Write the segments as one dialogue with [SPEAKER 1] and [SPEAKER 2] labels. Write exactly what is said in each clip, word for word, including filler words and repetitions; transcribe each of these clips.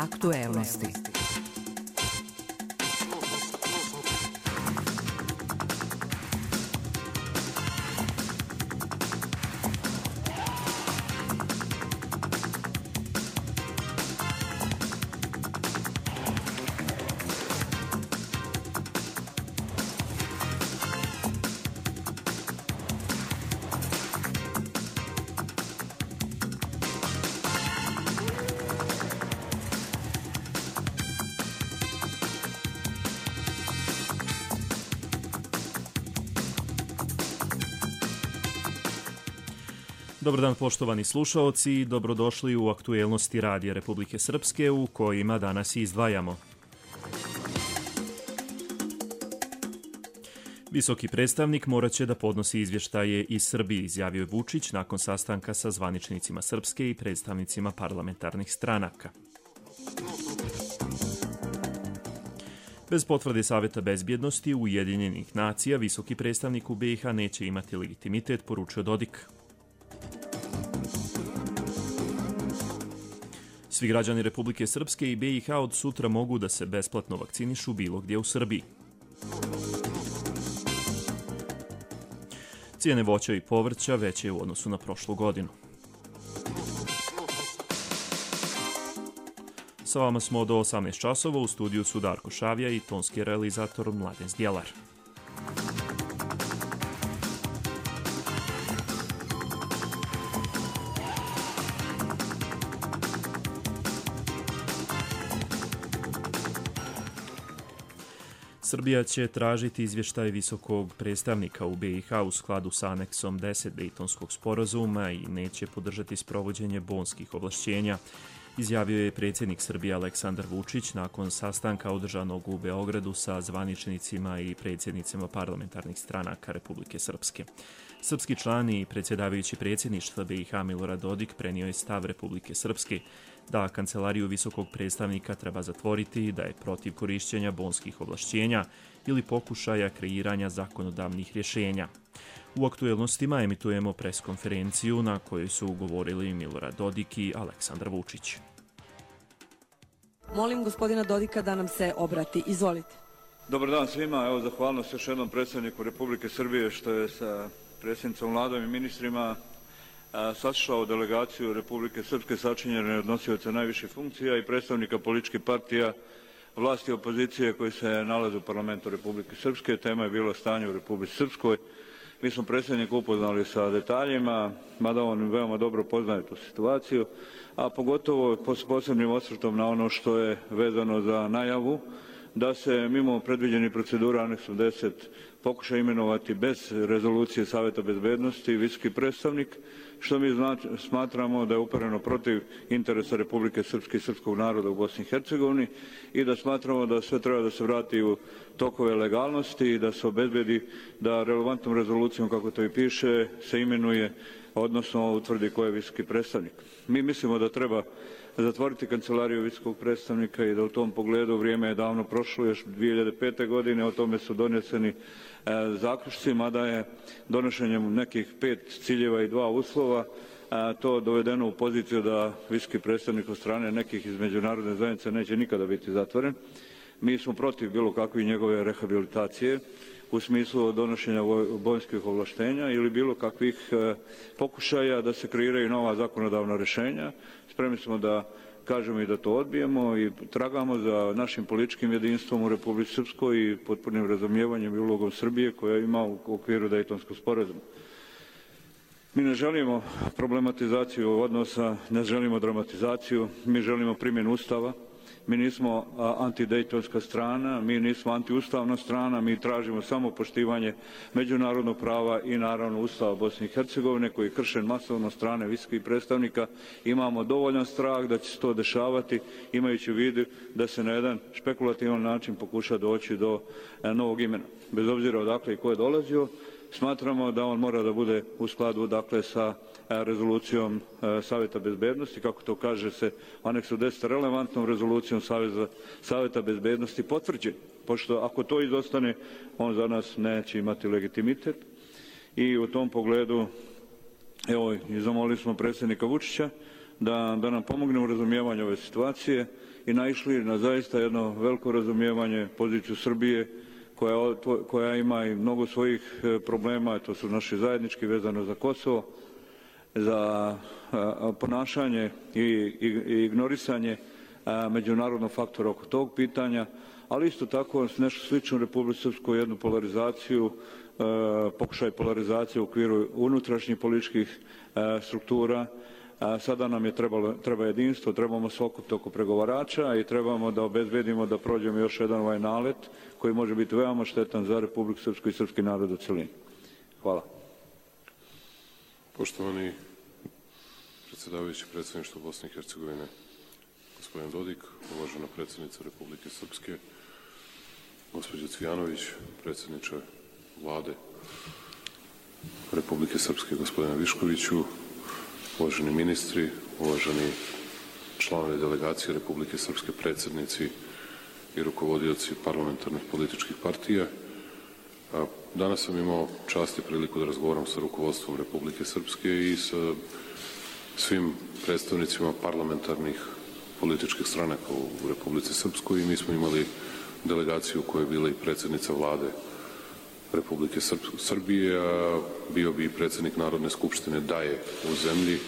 [SPEAKER 1] Aktuelnosti.
[SPEAKER 2] Dobar dan poštovani slušaoci, dobrodošli u aktuelnosti Radija Republike Srpske u kojima danas izdvajamo. Visoki predstavnik morat će da podnosi izvještaje iz Srbije, izjavio je Vučić nakon sastanka sa zvaničnicima Srpske i predstavnicima parlamentarnih stranaka. Bez potvrde Saveta bezbjednosti Ujedinjenih nacija, visoki predstavnik u B i H neće imati legitimitet, poručio Dodik. Svi građani Republike Srpske i B i H od sutra mogu da se besplatno vakcinišu bilo gdje u Srbiji. Cijene voća i povrća veće u odnosu na prošlu godinu. Sa vama smo do osamnaest časova, u studiju su Darko Šavija i tonski realizator Mladen Zdjelar. Srbija će tražiti izvještaj visokog predstavnika u B i H u skladu sa aneksom deset Dejtonskog sporazuma i neće podržati sprovođenje bonskih ovlašćenja, izjavio je predsjednik Srbije Aleksandar Vučić nakon sastanka održanog u Beogradu sa zvaničnicima i predsjednicima parlamentarnih stranaka Republike Srpske. Srpski član i predsjedavajući predsjedništva B i H Milorad Dodik prenio je stav Republike Srpske da kancelariju visokog predstavnika treba zatvoriti i da je protiv korišćenja bonskih ovlašćenja ili pokušaja kreiranja zakonodavnih rješenja. U aktuelnostima emitujemo preskonferenciju na kojoj su govorili Milorad Dodik i Aleksandar Vučić.
[SPEAKER 3] Molim gospodina Dodika da nam se obrati. Izvolite.
[SPEAKER 4] Dobar dan svima. Evo, zahvalnost još jednom predsjedniku Republike Srbije što je sa predsjednicom Vladom i ministrima saslušao delegaciju Republike Srpske sačinjene od nosioca najviših funkcija i predstavnika političkih partija, vlasti i opozicije koji se nalaze u parlamentu Republike Srpske. Tema je bilo stanje u Republici Srpskoj. Mi smo predsjednika upoznali sa detaljima, mada on veoma dobro poznaje tu situaciju, a pogotovo s posebnim osvrtom na ono što je vezano za najavu da se mimo predviđenih procedura aneksom deset pokuša imenovati bez rezolucije Saveta bezbednosti visoki predstavnik, što mi smatramo da je upereno protiv interesa Republike Srpske i srpskog naroda u Bosni i Hercegovini i da smatramo da sve treba da se vrati u tokove legalnosti i da se obezbedi da relevantnom rezolucijom, kako to i piše, se imenuje, odnosno utvrdi ko je visoki predstavnik. Mi mislimo da treba zatvoriti kancelariju visokog predstavnika i da u tom pogledu vrijeme je davno prošlo, još dvije hiljade pete. godine, o tome su doneseni e, zaključci, mada je donošenjem nekih pet ciljeva i dva uslova a, to dovedeno u poziciju da visoki predstavnik od strane nekih iz međunarodne zajednice neće nikada biti zatvoren. Mi smo protiv bilo kakve njegove rehabilitacije u smislu donošenja bonskih ovlaštenja ili bilo kakvih e, pokušaja da se kreiraju nova zakonodavna rješenja. Spremni smo da kažemo i da to odbijemo i tragamo za našim političkim jedinstvom u Republici Srpskoj i potpunim razumijevanjem i ulogom Srbije koja ima u okviru Dejtonskog sporazuma. Mi ne želimo problematizaciju odnosa, ne želimo dramatizaciju, mi želimo primjenu Ustava. Mi nismo antidejtonska strana, mi nismo antiustavna strana, mi tražimo samo poštivanje međunarodnog prava i naravno Ustava Bosne i Hercegovine koji je kršen masovno strane visokih predstavnika. Imamo dovoljan strah da će se to dešavati, imajući u vidu da se na jedan špekulativan način pokuša doći do novog imena. Bez obzira odakle i ko je dolazio, smatramo da on mora da bude u skladu dakle sa rezolucijom Saveta bezbednosti, kako to kaže se u aneksu deset, relevantnom rezolucijom Saveza, Saveta bezbednosti potvrđen, pošto ako to izostane, on za nas neće imati legitimitet i u tom pogledu, evo, i zamolili smo predsjednika Vučića da, da nam pomogne u razumijevanju ove situacije i naišli na zaista jedno veliko razumijevanje poziciju Srbije koja, koja ima i mnogo svojih problema, to su naši zajednički vezano za Kosovo, za a, ponašanje i, i, i ignorisanje a, međunarodnog faktora oko tog pitanja, ali isto tako nešto slično u Republici Srpskoj, jednu polarizaciju, a, pokušaj polarizacije u okviru unutrašnjih političkih a, struktura. A, sada nam je trebalo, treba jedinstvo, trebamo se okupiti oko pregovarača i trebamo da obezbedimo da prođemo još jedan ovaj nalet koji može biti veoma štetan za Republiku Srpsku i srpski narod u celini. Hvala.
[SPEAKER 1] Poštovani predsjedavajući predsjedništva Bosne i Hercegovine, gospodin Dodik, uvažena predsjednica Republike Srpske, gospođa Cvijanović, predsjedniče Vlade Republike Srpske, gospodina Viškoviću, uvaženi ministri, uvaženi članovi delegacije Republike Srpske, predsjednici i rukovodioci parlamentarnih političkih partija. Danas sam imao čast i priliku da razgovaram sa rukovodstvom Republike Srpske i sa svim predstavnicima parlamentarnih političkih stranaka u Republici Srpskoj i mi smo imali delegaciju koja je bila i predsjednica Vlade Republike Srbije, a bio bi i predsjednik Narodne skupštine da je u zemlji,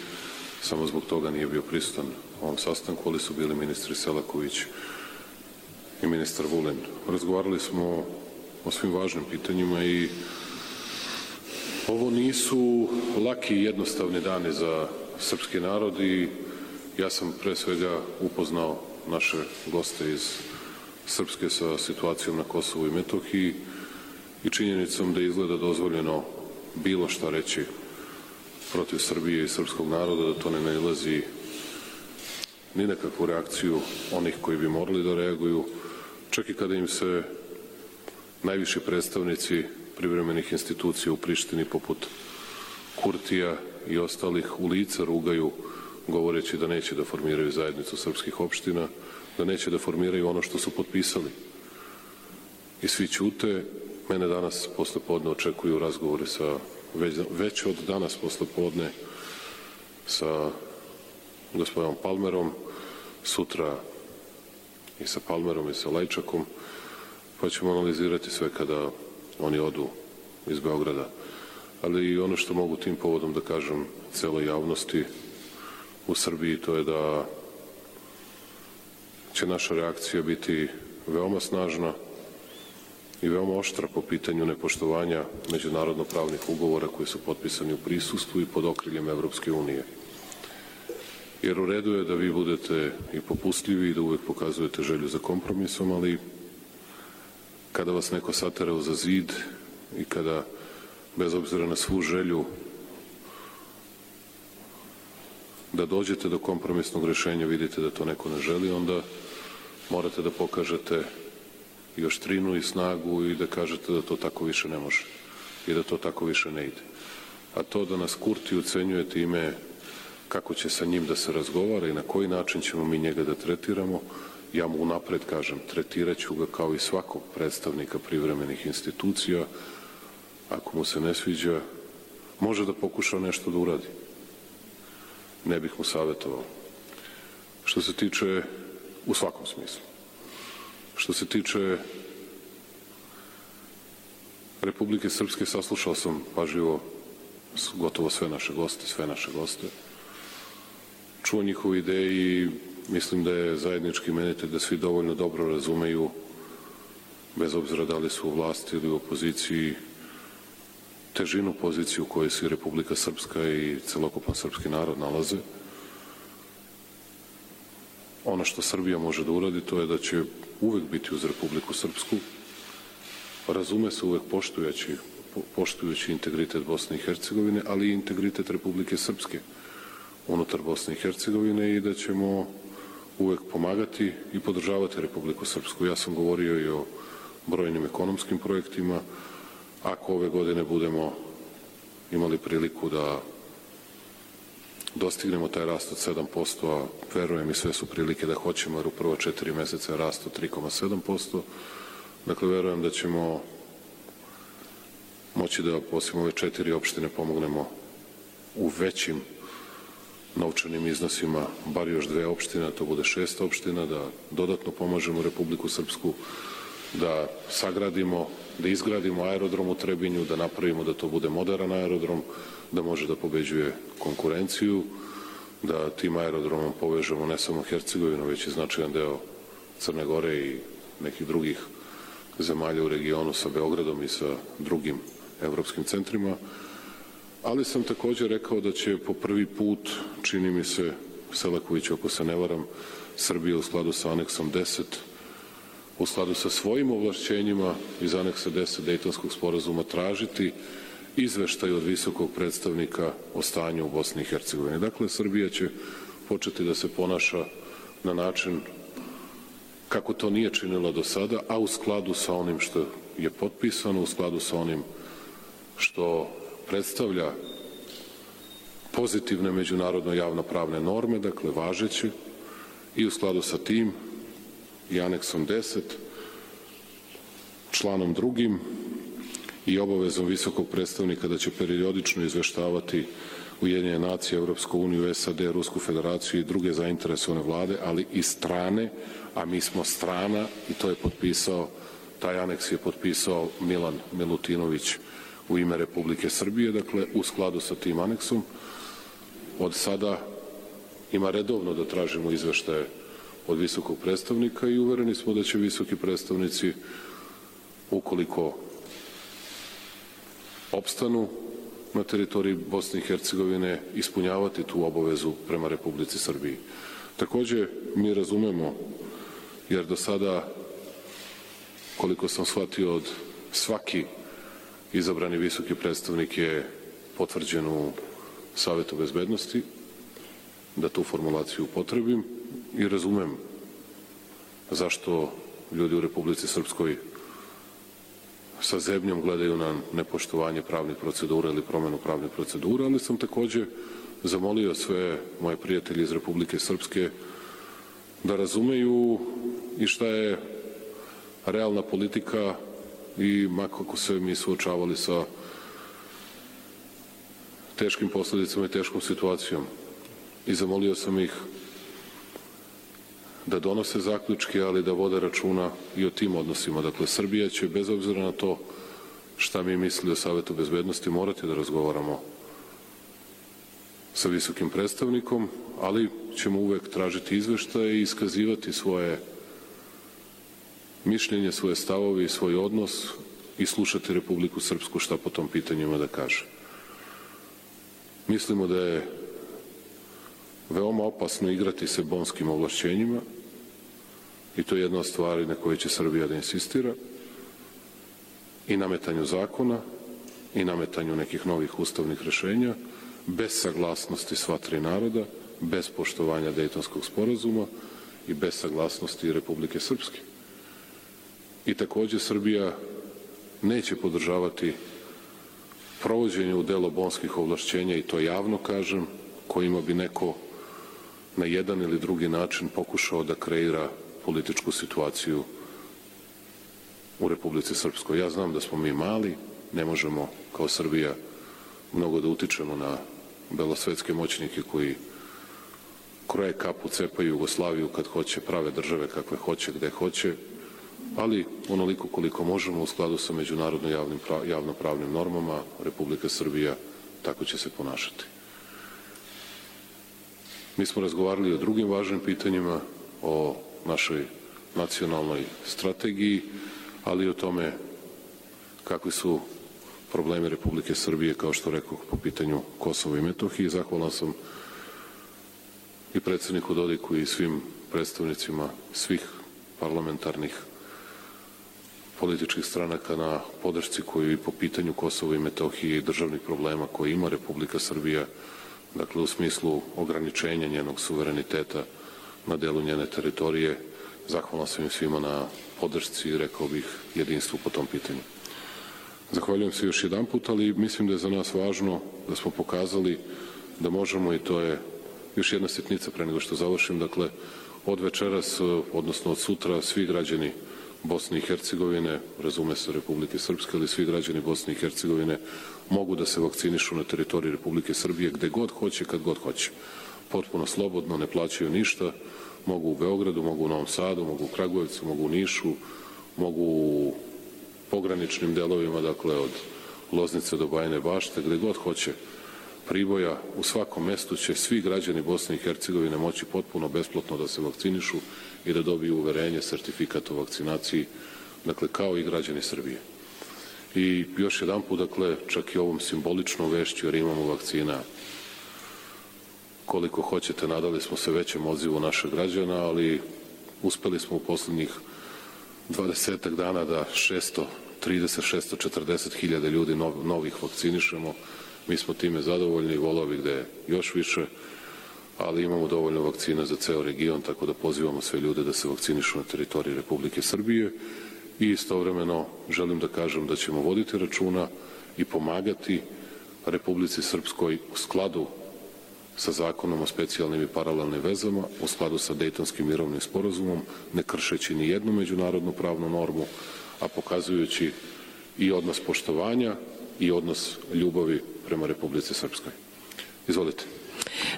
[SPEAKER 1] samo zbog toga nije bio prisutan u ovom sastanku, ali su bili ministri Selaković i ministar Vulin. Razgovarali smo o svim važnim pitanjima i ovo nisu laki i jednostavni dani za srpski narod i ja sam pre svega upoznao naše goste iz Srpske sa situacijom na Kosovu i Metohiji i činjenicom da izgleda dozvoljeno bilo šta reći protiv Srbije i srpskog naroda, da to ne nailazi ni nekakvu reakciju onih koji bi morali da reaguju, čak i kada im se najviši predstavnici privremenih institucija u Prištini poput Kurtija i ostalih u lice rugaju govoreći da neće da formiraju zajednicu srpskih opština, da neće da formiraju ono što su potpisali. I svi ćute. Mene danas posle podne očekuju razgovori sa, već, već od danas posle podne sa gospodinom Palmerom, sutra i sa Palmerom i sa Lajčakom, pa ćemo analizirati sve kada oni odu iz Beograda. Ali i ono što mogu tim povodom da kažem celoj javnosti u Srbiji, to je da će naša reakcija biti veoma snažna i veoma oštra po pitanju nepoštovanja međunarodno-pravnih ugovora koji su potpisani u prisustvu i pod okriljem Evropske unije. Jer u redu je da vi budete i popustljivi i da uvek pokazujete želju za kompromisom, ali kada vas neko satera za zid i kada, bez obzira na svu želju da dođete do kompromisnog rešenja, vidite da to neko ne želi, onda morate da pokažete i oštrinu i snagu i da kažete da to tako više ne može i da to tako više ne ide. A to da nas Kurti ucenjuje time kako će sa njim da se razgovara i na koji način ćemo mi njega da tretiramo, ja mu unapred kažem, tretirat ću ga kao i svakog predstavnika privremenih institucija. Ako mu se ne sviđa, može da pokuša nešto da uradi. Ne bih mu savjetovao. Što se tiče, u svakom smislu, što se tiče Republike Srpske, saslušao sam pažljivo gotovo sve naše goste, sve naše goste. Čuo njihove ideje i mislim da je zajednički imenitelj da svi dovoljno dobro razumeju, bez obzira da li su u vlasti ili u opoziciji, težinu pozicije u kojoj se Republika Srpska i celokupan srpski narod nalaze. Ono što Srbija može da uradi, to je da će uvek biti uz Republiku Srpsku, razume se uvek poštujući, poštujući integritet Bosne i Hercegovine, ali i integritet Republike Srpske unutar Bosne i Hercegovine i da ćemo uvek pomagati i podržavati Republiku Srpsku. Ja sam govorio i o brojnim ekonomskim projektima. Ako ove godine budemo imali priliku da dostignemo taj rast od sedam posto, a verujem i sve su prilike da hoćemo, jer u prva četiri meseca je rast od tri zarez sedam posto, dakle verujem da ćemo moći da osim ove četiri opštine pomognemo u većim novčanim iznosima bar još dve opštine, to bude šest opština, da dodatno pomažemo Republiku Srpsku, da sagradimo, da izgradimo aerodrom u Trebinju, da napravimo da to bude moderan aerodrom, da može da pobeđuje konkurenciju, da tim aerodromom povežemo ne samo Hercegovinu, već i značajan deo Crne Gore i nekih drugih zemalja u regionu sa Beogradom i sa drugim evropskim centrima. Ali sam također rekao da će po prvi put, čini mi se, Selaković, ako se ne varam, Srbija u skladu sa aneksom deset, u skladu sa svojim ovlašćenjima iz aneksa deset Dejtonskog sporazuma tražiti izveštaj od visokog predstavnika o stanju u Bosni i Hercegovini. Dakle, Srbija će početi da se ponaša na način kako to nije činila do sada, a u skladu sa onim što je potpisano, u skladu sa onim što predstavlja pozitivne međunarodno javnopravne norme, dakle važeće, i u skladu sa tim i aneksom deset, članom drugim i obavezom visokog predstavnika da će periodično izveštavati Ujedinjene nacije, Europsku uniju, S A D, Rusku federaciju i druge zainteresovane vlade, ali i strane, a mi smo strana i to je potpisao, taj aneks je potpisao Milan Milutinović u ime Republike Srbije, dakle u skladu sa tim aneksom. Od sada ima redovno da tražimo izveštaje od visokog predstavnika i uvereni smo da će visoki predstavnici, ukoliko opstanu na teritoriji Bosne i Hercegovine, ispunjavati tu obavezu prema Republici Srbiji. Takođe, mi razumemo, jer do sada, koliko sam shvatio, od svaki izabrani visoki predstavnik je potvrđen u Savetu bezbednosti, da tu formulaciju upotrebim, i razumem zašto ljudi u Republici Srpskoj sa zebnjom gledaju na nepoštovanje pravnih procedura ili promenu pravnih procedura, ali sam takođe zamolio sve moje prijatelje iz Republike Srpske da razumeju i šta je realna politika i makako se mi suočavali sa teškim posledicama i teškom situacijom. I zamolio sam ih da donose zaključke, ali da vode računa i o tim odnosima. Dakle, Srbija će, bez obzira na to šta mi misli o Savetu bezbednosti, morati da razgovaramo sa visokim predstavnikom, ali ćemo uvek tražiti izveštaje i iskazivati svoje mišljenje, svoje stavove i svoj odnos i slušati Republiku Srpsku šta po tom pitanjima da kaže. Mislimo da je veoma opasno igrati se bonskim ovlašćenjima i to je jedna od stvari na kojoj će Srbija da insistira, i nametanju zakona i nametanju nekih novih ustavnih rešenja bez saglasnosti sva tri naroda, bez poštovanja Dejtonskog sporazuma i bez saglasnosti Republike Srpske. I takođe Srbija neće podržavati provođenje u delo bonskih ovlašćenja, i to javno kažem, kojima bi neko na jedan ili drugi način pokušao da kreira političku situaciju u Republici Srpskoj. Ja znam da smo mi mali, ne možemo kao Srbija mnogo da utičemo na belosvetske moćnike koji kroje kapu, cepaju Jugoslaviju kad hoće, prave države kakve hoće, gde hoće, ali onoliko koliko možemo u skladu sa međunarodno javnim, javnopravnim normama, Republika Srbija tako će se ponašati. Mi smo razgovarali o drugim važnim pitanjima, o našoj nacionalnoj strategiji, ali i o tome kakvi su problemi Republike Srbije, kao što rekao, po pitanju Kosova i Metohije. Zahvalan sam i predsedniku Dodiku i svim predstavnicima svih parlamentarnih političkih stranaka na podršci koju i po pitanju Kosova i Metohije i državnih problema koje ima Republika Srbija, dakle u smislu ograničenja njenog suvereniteta na delu njene teritorije. Zahvalan sam im svima na podršci i, rekao bih, jedinstvu po tom pitanju. Zahvaljujem se još jedan put, ali mislim da je za nas važno da smo pokazali da možemo, i to je još jedna sitnica pre nego što završim, dakle od večeras, odnosno od sutra, svi građani Bosne i Hercegovine, razume se Republike Srpske, ali svi građani Bosne i Hercegovine mogu da se vakcinišu na teritoriji Republike Srbije gde god hoće, kad god hoće. potpuno slobodno, ne plaćaju ništa, mogu u Beogradu, mogu u Novom Sadu, mogu u Kragujevcu, mogu u Nišu, mogu u pograničnim delovima, dakle od Loznice do Bajine Bašte, gde god hoće, Priboja, u svakom mestu će svi građani Bosne i Hercegovine moći potpuno besplatno da se vakcinišu i da dobiju uverenje, sertifikat o vakcinaciji, dakle kao i građani Srbije. I još jedan put, dakle, čak i ovom simboličnom vešću, jer imamo vakcina koliko hoćete, nadali smo se većem odzivu naših građana, ali uspeli smo u poslednjih dvadesetak dana da šesto trideset do šesto četrdeset hiljada ljudi novih vakcinišemo. Mi smo time zadovoljni, voleo bih da je još više, ali imamo dovoljno vakcina za ceo region, tako da pozivamo sve ljude da se vakcinišu na teritoriji Republike Srbije i istovremeno želim da kažem da ćemo voditi računa i pomagati Republici Srpskoj u skladu sa zakonom o specijalnim i paralelnim vezama, u skladu sa Dejtonskim mirovnim sporazumom, ne kršeći ni jednu međunarodnu pravnu normu, a pokazujući i odnos poštovanja i odnos ljubavi prema Republici Srpskoj. Izvolite.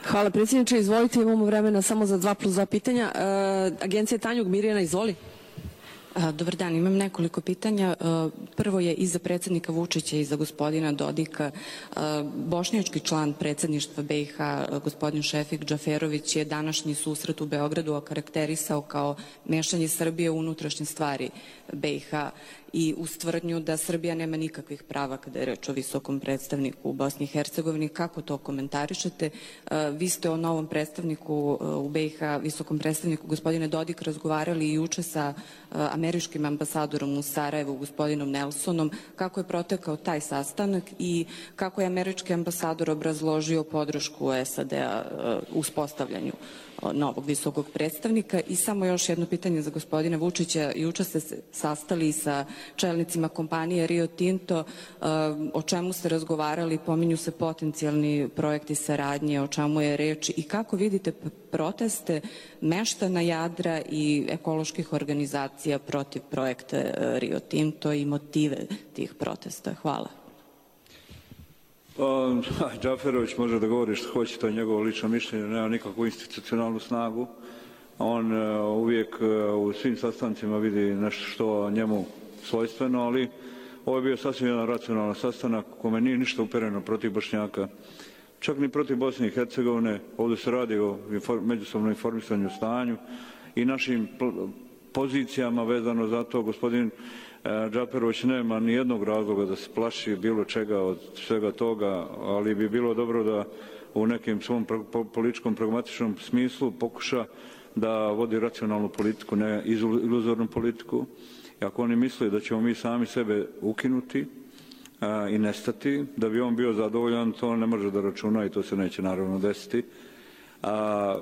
[SPEAKER 3] Hvala predsjedniče, izvolite, imamo vremena samo za dva plus dva pitanja. E, Agencija Tanjug, Mirjana, izvoli.
[SPEAKER 5] Dobar dan, imam nekoliko pitanja. Prvo je i za predsjednika Vučića i za gospodina Dodika. Bošnjački član predsjedništva B i H, gospodin Šefik Džaferović, je današnji susret u Beogradu okarakterisao kao mešanje Srbije u unutrašnje stvari B i H i uz tvrdnju da Srbija nema nikakvih prava kada je reč o visokom predstavniku u Bosni i Hercegovini. Kako to komentarišete? Vi ste o novom predstavniku u B i H, visokom predstavniku gospodine Dodik, razgovarali i juče sa američkim ambasadorom u Sarajevu, gospodinom Nelsonom. Kako je protekao taj sastanak i kako je američki ambasador obrazložio podršku S A D-a uspostavljanju novog visokog predstavnika? I samo još jedno pitanje za gospodina Vučića. Juče ste se sastali sa čelnicima kompanije Rio Tinto. O čemu ste razgovarali? Pominju se potencijalni projekti saradnje, o čemu je reč i kako vidite proteste meštana Jadra i ekoloških organizacija protiv projekta Rio Tinto i motive tih protesta? Hvala.
[SPEAKER 4] Pa, Džaferović može da govori što hoće, to je njegovo lično mišljenje, nema nikakvu institucionalnu snagu. On uvijek u svim sastancima vidi nešto što njemu svojstveno, ali ovo je bio sasvim jedan racionalan sastanak u kome nije ništa upereno protiv Bošnjaka, čak ni protiv Bosne i Hercegovine. Ovdje se radi o međusobnom informisanju o stanju i našim pozicijama vezano za to. Gospodin Džaferović nema ni jednog razloga da se plaši bilo čega od svega toga, ali bi bilo dobro da u nekim svom političkom pragmatičnom smislu pokuša da vodi racionalnu politiku, ne iluzornu politiku. I ako oni misle da ćemo mi sami sebe ukinuti a, i nestati, da bi on bio zadovoljan, to ne može da računa i to se neće naravno desiti. A,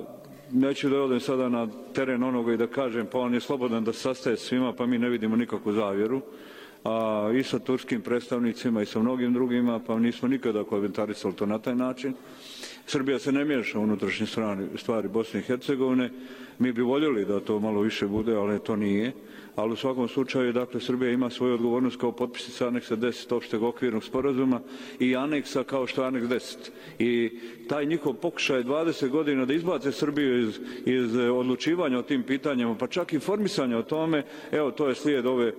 [SPEAKER 4] neću da odem sada na teren onoga i da kažem pa on je slobodan da se sastaje svima, pa mi ne vidimo nikakvu zavjeru. A, i sa turskim predstavnicima i sa mnogim drugima, pa nismo nikada komentarisali to na taj način. Srbija se ne miješa u unutrašnje stvari Bosne i Hercegovine. Mi bi voljeli da to malo više bude, ali to nije. Ali u svakom slučaju, dakle, Srbija ima svoju odgovornost kao potpisnica aneksa deset opšteg okvirnog sporazuma i aneksa kao što je aneks deset. I taj njihov pokušaj dvadeset godina da izbace Srbiju iz, iz odlučivanja o tim pitanjima, pa čak i informisanja o tome, evo, to je slijed ove, e,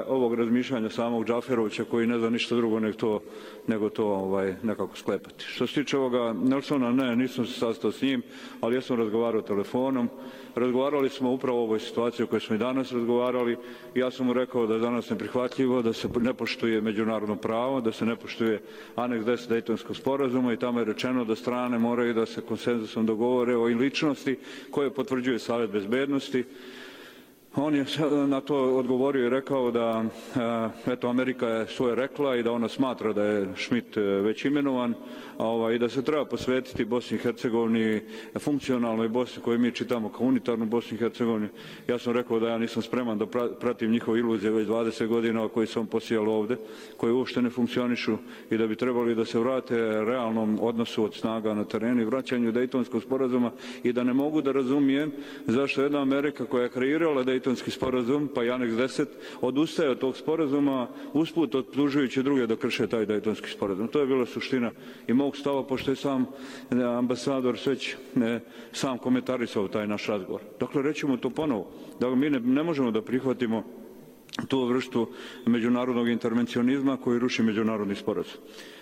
[SPEAKER 4] ovog razmišljanja samog Džaferovića koji ne zna ništa drugo nego to, nego to ovaj, nekako sklepati. Što se tiče ovoga Nelsona, ne, nisam se sastao s njim, ali ja sam razgovarao telefonom. Razgovarali smo upravo o ovoj situaciji o kojoj smo i danas razgovarali. Ja sam mu rekao da je danas neprihvatljivo, da se ne poštuje međunarodno pravo, da se ne poštuje aneks deset Dejtonskog sporazuma i tamo je rečeno da strane moraju da se konsenzusom dogovore o ličnosti koje potvrđuje Savet bezbednosti. On je na to odgovorio i rekao da eto, Amerika je svoje rekla i da ona smatra da je Schmidt već imenovan ovaj, i da se treba posvetiti Bosni i Hercegovini, funkcionalnoj Bosni koju mi čitamo kao unitarnu Bosni i Hercegovini. Ja sam rekao da ja nisam spreman da pratim njihove iluzije već dvadeset godina koji su on posijali ovde, koji uopšte ne funkcionišu i da bi trebali da se vrate realnom odnosu od snaga na terenu i vraćanju Dejtonskog sporazuma i da ne mogu da razumijem zašto jedna Amerika koja je kreirala Dejtonskog Dejtonski sporazum, pa i aneks deset, odustaje od tog sporazuma, usput optužujući druge da krše taj Dejtonski sporazum. To je bila suština i mog stava, pošto je sam ambasador već sam komentarisao taj naš razgovor. Dakle, rećemo to ponovo, da mi ne, ne možemo da prihvatimo tu vrstu međunarodnog intervencionizma koji ruši međunarodni sporazum.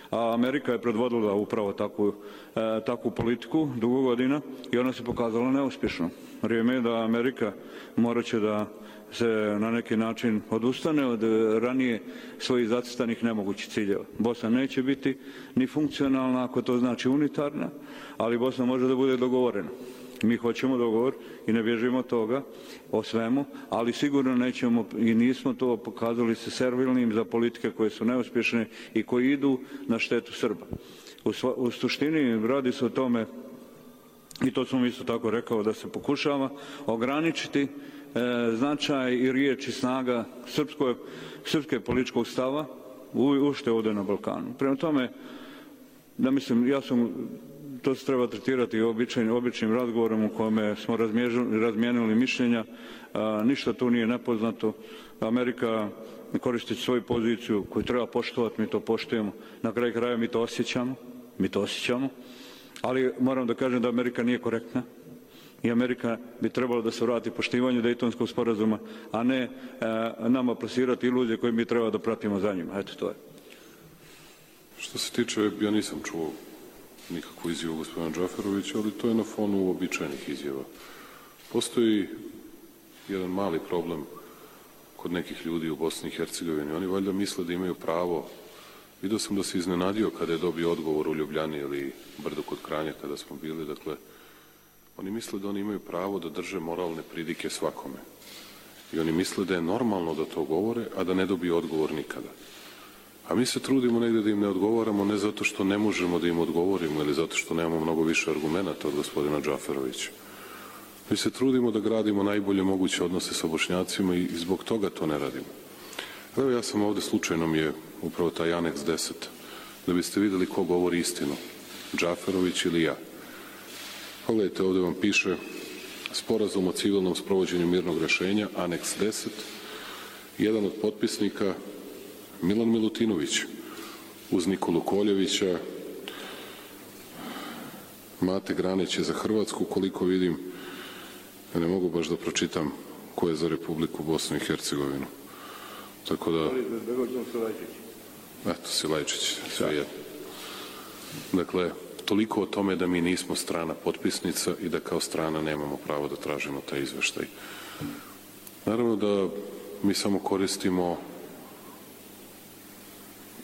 [SPEAKER 4] A Amerika je predvodila upravo takvu, e, takvu politiku dugo godina i ona se pokazala neuspješno. Vrijeme je da Amerika morat će da se na neki način odustane od ranije svojih zacrtanih nemogućih ciljeva. Bosna neće biti ni funkcionalna, ako to znači unitarna, ali Bosna može da bude dogovorena. Mi hoćemo dogovor i ne bježimo od toga, o svemu, ali sigurno nećemo i nismo to pokazali se servilnim za politike koje su neuspješne i koji idu na štetu Srba. U, sva, u suštini radi se o tome, i to sam isto tako rekao, da se pokušava ograničiti e, značaj i riječ i snaga srpskoj, srpske političkog stava u, ušte ovdje na Balkanu. Prema tome, da mislim, ja sam to se treba tretirati običajnim, običnim razgovorom u kome smo razmijenili mišljenja. A, ništa tu nije nepoznato. Amerika koristeći svoju poziciju koju treba poštovati, mi to poštujemo. Na kraju kraja mi to osjećamo. Mi to osjećamo. Ali moram da kažem da Amerika nije korektna. I Amerika bi trebalo da se vrati poštivanju Dejtonskog sporazuma, a ne a, nama plasirati iluzije koje mi treba da pratimo za njima. Eto, to je.
[SPEAKER 1] Što se tiče, ja nisam čuo nikakvu izjavu gospodina Džaferovića, ali to je na fonu uobičajenih izjava. Postoji jedan mali problem kod nekih ljudi u Bosni i Hercegovini. Oni valjda misle da imaju pravo. Vidio sam da se iznenadio kada je dobio odgovor u Ljubljani ili Brdu kod Kranja kada smo bili. Dakle, oni misle da oni imaju pravo da drže moralne pridike svakome. I oni misle da je normalno da to govore, a da ne dobiju odgovor nikada. A mi se trudimo negdje da im ne odgovaramo, ne zato što ne možemo da im odgovorimo ili zato što nemamo mnogo više argumenata od gospodina Džaferovića. Mi se trudimo da gradimo najbolje moguće odnose sa Bošnjacima i zbog toga to ne radimo. Evo, ja sam ovdje, slučajno mi je upravo taj aneks deset, da biste vidjeli ko govori istinu, Džaferović ili ja. Pogledajte, ovdje vam piše sporazum o civilnom sprovođenju mirnog rješenja, aneks deset, jedan od potpisnika Milan Milutinović, uz Nikolu Koljevića, Mate Granić je za Hrvatsku, koliko vidim, ja ne mogu baš da pročitam ko je za Republiku Bosnu i Hercegovinu. Tako da... Eto, Silajčić, sve jedno. Dakle, toliko o tome da mi nismo strana potpisnica i da kao strana nemamo pravo da tražimo taj izveštaj. Naravno da mi samo koristimo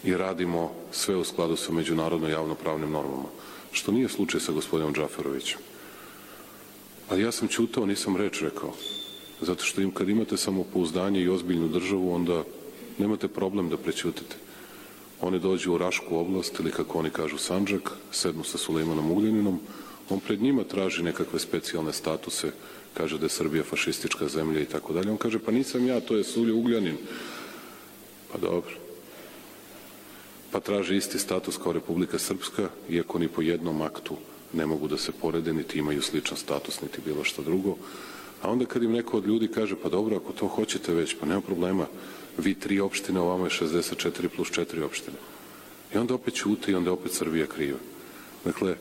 [SPEAKER 1] i radimo sve u skladu sa međunarodno javnopravnim normama, što nije slučaj sa gospodinom Džaferovićem. Ali ja sam ćutao, nisam reč rekao, zato što im, kad imate samopouzdanje i ozbiljnu državu, onda nemate problem da prećutite. Oni dođu u Rašku oblast, ili kako oni kažu Sandžak, sednu sa Sulejmanom Ugljaninom, on pred njima traži nekakve specijalne statuse, kaže da je Srbija fašistička zemlja i tako dalje. On kaže, pa nisam ja, to je Suljo Ugljanin. Pa dobro. Pa traži isti status kao Republika Srpska, iako ni po jednom aktu ne mogu da se porede, niti imaju sličan status, niti bilo što drugo. A onda kad im neko od ljudi kaže, pa dobro, ako to hoćete već, pa nema problema, vi tri opštine, ovamo je šezdeset četiri plus četiri opštine. I onda opet ćute i onda opet Srbija kriva. Dakle,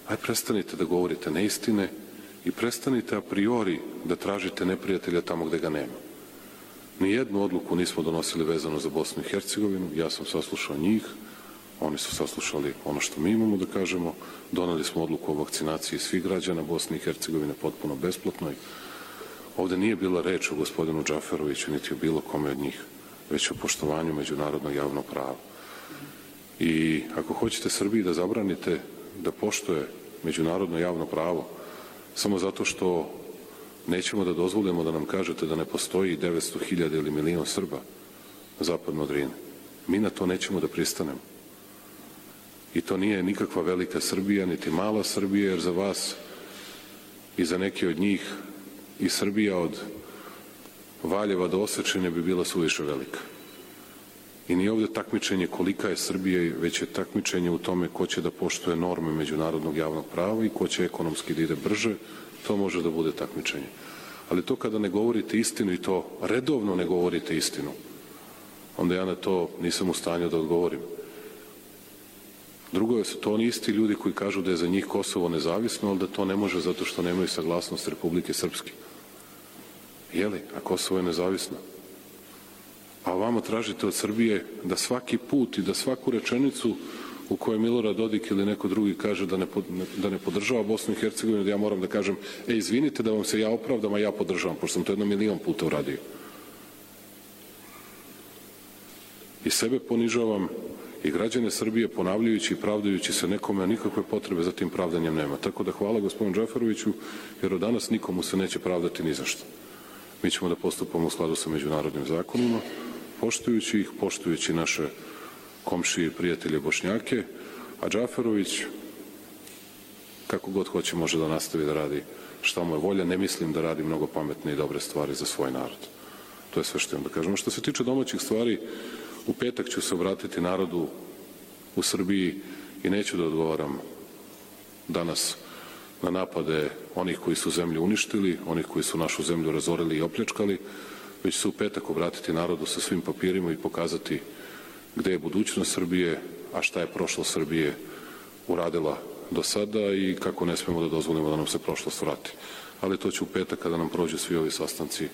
[SPEAKER 1] aj prestanite da govorite neistine i prestanite a priori da tražite neprijatelja tamo gde ga nema. Nijednu odluku nismo donosili vezano za Bosnu i Hercegovinu, ja sam saslušao njih, oni su saslušali ono što mi imamo da kažemo, doneli smo odluku o vakcinaciji svih građana Bosne i Hercegovine potpuno besplatnoj. Ovdje nije bila reč o gospodinu Džaferoviću, niti o bilo kome od njih, već o poštovanju međunarodnog javnog prava. I ako hoćete Srbiji da zabranite da poštuje međunarodno javno pravo, samo zato što nećemo da dozvolimo da nam kažete da ne postoji devetsto hiljada ili milion Srba zapadno od Drine. Mi na to nećemo da pristanemo. I to nije nikakva velika Srbija, niti mala Srbija, jer za vas i za neke od njih i Srbija od Valjeva do Osečine bi bila suviše velika. I nije ovdje takmičenje kolika je Srbija, već je takmičenje u tome ko će da poštuje norme međunarodnog javnog prava i ko će ekonomski da ide brže, to može da bude takmičenje. Ali to kada ne govorite istinu i to redovno ne govorite istinu, onda ja na to nisam u stanju da odgovorim. Drugo je su to oni isti ljudi koji kažu da je za njih Kosovo nezavisno, ali da to ne može zato što nemaju saglasnost Republike Srpske. Jeli, a Kosovo je nezavisno. A vamo tražite od Srbije da svaki put i da svaku rečenicu u kojoj Milorad Dodik ili neko drugi kaže da ne, da ne podržava Bosnu i Hercegovinu, da ja moram da kažem, e, izvinite da vam se ja opravdam, a ja podržavam, pošto sam to jedno milion puta uradio. I sebe ponižavam i građane Srbije ponavljajući i pravdajući se nekome, a nikakve potrebe za tim pravdanjem nema. Tako da hvala gospodinu Džaferoviću, jer od danas nikomu se neće pravdati ni za što. Mi ćemo da postupamo u skladu sa međunarodnim zakonima, poštujući ih, poštujući naše komšije i prijatelje Bošnjake, a Džaferović, kako god hoće, može da nastavi da radi šta mu je volja. Ne mislim da radi mnogo pametne i dobre stvari za svoj narod. To je sve što imam da kažem. Što se tiče domaćih stvari, u petak ću se obratiti narodu u Srbiji i neću da odgovaram danas na napade onih koji su zemlju uništili, onih koji su našu zemlju razorili i opljačkali, već se u petak obratiti narodu sa svim papirima i pokazati gde je budućnost Srbije, a šta je prošlost Srbije uradila do sada i kako ne smemo da dozvolimo da nam se prošlost vrati. Ali to će u petak kada nam prođu svi ovi sastanci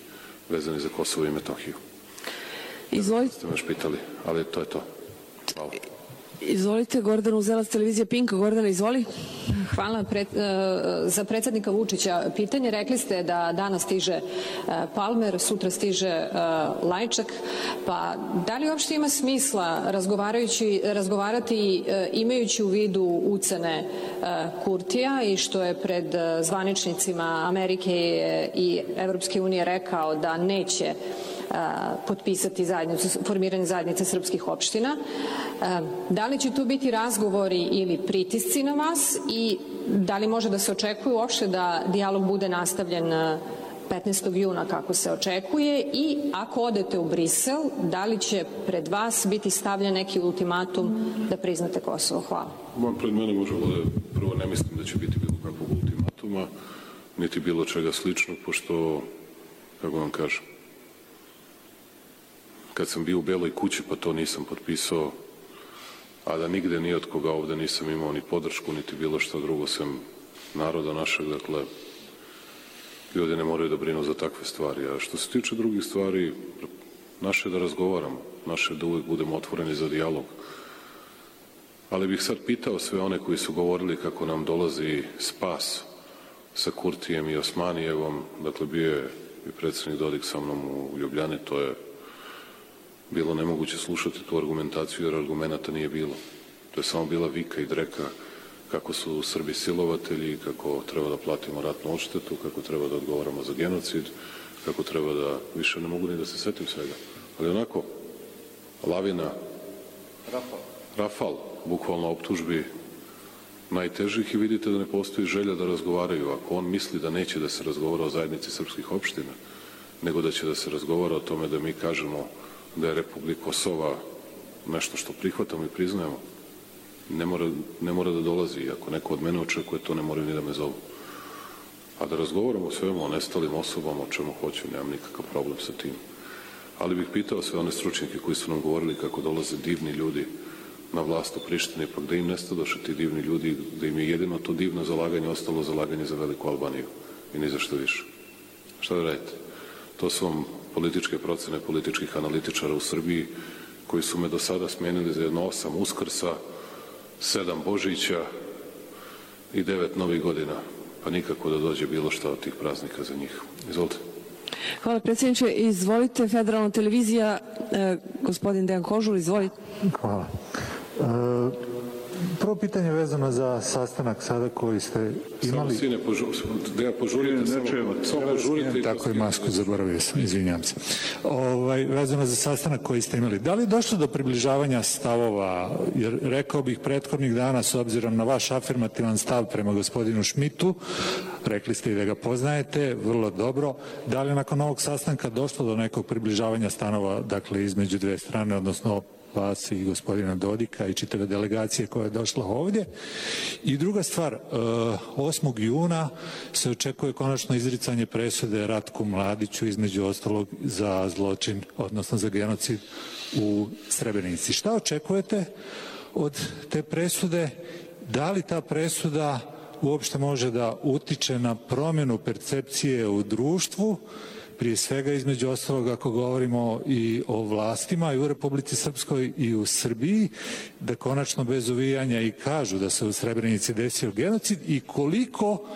[SPEAKER 1] vezani za Kosovo i Metohiju.
[SPEAKER 3] Izvolite.
[SPEAKER 1] Ste me još pitali, ali to je to. Hvala.
[SPEAKER 3] Izvolite, Gordana Uzelac, televizija Pink. Gordana, izvoli.
[SPEAKER 6] Hvala. Pred, za predsjednika Vučića pitanje. Rekli ste da danas stiže Palmer, sutra stiže Lajčak. Pa da li uopšte ima smisla razgovarajući, razgovarati imajući u vidu ucene Kurtija i što je pred zvaničnicima Amerike i Evropske unije rekao da neće potpisati zajednicu, formiranje zajednice srpskih opština. Da li će tu biti razgovori ili pritisci na vas i da li može da se očekuje uopšte da dijalog bude nastavljen petnaestog juna kako se očekuje i ako odete u Brisel, da li će pred vas biti stavljen neki ultimatum da priznate Kosovo? Hvala.
[SPEAKER 1] Man, pred mene može bude, prvo ne mislim da će biti bilo kakvog ultimatuma, niti bilo čega sličnog, pošto, kako vam kažem, kad sam bio u Beloj kući pa to nisam potpisao, a da nigde ni od koga ovde nisam imao ni podršku, niti bilo što drugo sem naroda našeg, dakle, ljudi ne moraju da brinu za takve stvari. A što se tiče drugih stvari, naše je da razgovaramo, naše je da uvek budemo otvoreni za dijalog. Ali bih sad pitao sve one koji su govorili kako nam dolazi spas sa Kurtijem i Osmanijevom, dakle, bio je i predsjednik Dodik sa mnom u Ljubljani, to je bilo nemoguće slušati tu argumentaciju jer argumenta nije bilo. To je samo bila vika i dreka kako su Srbi silovatelji, kako treba da platimo ratnu odštetu, kako treba da odgovaramo za genocid, kako treba da, više ne mogu ni da se setim svega. Ali onako, lavina, Rafal, Rafal bukvalno optužbi najtežih i vidite da ne postoji želja da razgovaraju. Ako on misli da neće da se razgovara o zajednici srpskih opština, nego da će da se razgovara o tome da mi kažemo da je Republika Kosova nešto što prihvatamo i priznajemo, ne mora, ne mora da dolazi. Ako neko od mene očekuje to, ne moraju ni da me zovu. A da razgovaramo o svemu, o nestalim osobama, o čemu hoću, nemam nikakav problem sa tim. Ali bih pitao sve one stručnjake koji su nam govorili kako dolaze divni ljudi na vlast u Prištini, pa gde im nestadoše ti divni ljudi, da im je jedino to divno zalaganje ostalo zalaganje za Veliku Albaniju i ni za što više. Šta da radite? To su vam političke procene političkih analitičara u Srbiji koji su me do sada smenili za jedno osam Uskrsa, sedam Božića i devet Novih godina, pa nikako da dođe bilo šta od tih praznika za njih. Izvolite.
[SPEAKER 3] Hvala predsjedniče. Izvolite, Federalna televizija, eh, gospodin Dejan Kožul, izvolite.
[SPEAKER 7] Hvala. E, prvo pitanje vezano za sastanak sada koji ste imali.
[SPEAKER 1] Samo sine, požu, da ja požurite, samo, samo požurite.
[SPEAKER 7] Tako i masku, zaboravio sam, izvinjam se. Ovaj, vezano za sastanak koji ste imali. Da li je došlo do približavanja stavova, jer rekao bih prethodnih dana, s obzirom na vaš afirmativan stav prema gospodinu Šmitu, rekli ste i da ga poznajete vrlo dobro, da li je nakon ovog sastanka došlo do nekog približavanja stanova, dakle, između dve strane, odnosno vas i gospodina Dodika i čitave delegacije koja je došla ovdje. I druga stvar, osmog juna se očekuje konačno izricanje presude Ratku Mladiću, između ostalog za zločin, odnosno za genocid u Srebrenici. Šta očekujete od te presude? Da li ta presuda uopšte može da utiče na promjenu percepcije u društvu, prije svega između ostalog ako govorimo i o vlastima i u Republici Srpskoj i u Srbiji, da konačno bez uvijanja i kažu da se u Srebrenici desio genocid, i koliko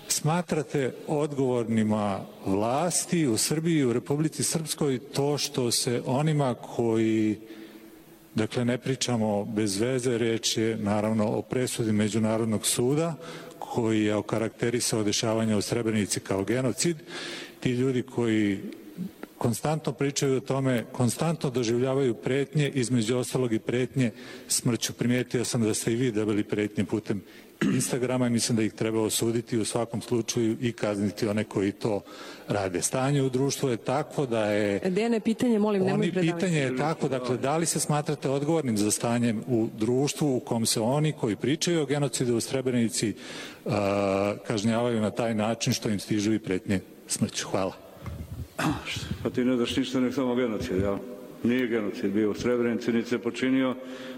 [SPEAKER 7] smatrate odgovornima vlasti u Srbiji i u Republici Srpskoj to što se onima koji, dakle ne pričamo bez veze, reč je naravno o presudi Međunarodnog suda koji je okarakterisao dešavanja u Srebrenici kao genocid, ti ljudi koji konstantno pričaju o tome, konstantno doživljavaju pretnje, između ostalog i pretnje smrću. Primijetio sam da ste i vi dobili pretnje putem Instagrama i mislim da ih treba osuditi u svakom slučaju i kazniti one koji to rade. Stanje u društvu je takvo da je...
[SPEAKER 3] Dejane, pitanje, molim, nemoj
[SPEAKER 7] Oni
[SPEAKER 3] predavati.
[SPEAKER 7] pitanje je tako, dakle, da li se smatrate odgovornim za stanjem u društvu u kom se oni koji pričaju o genocidu u Srebrenici uh, kažnjavaju na taj način što im stižu i pretnje smrću? Hvala.
[SPEAKER 4] Pa ti ne daš ništa nek samo genocid, ja? Nije genocid bio u Srebrenici, niti se počinio,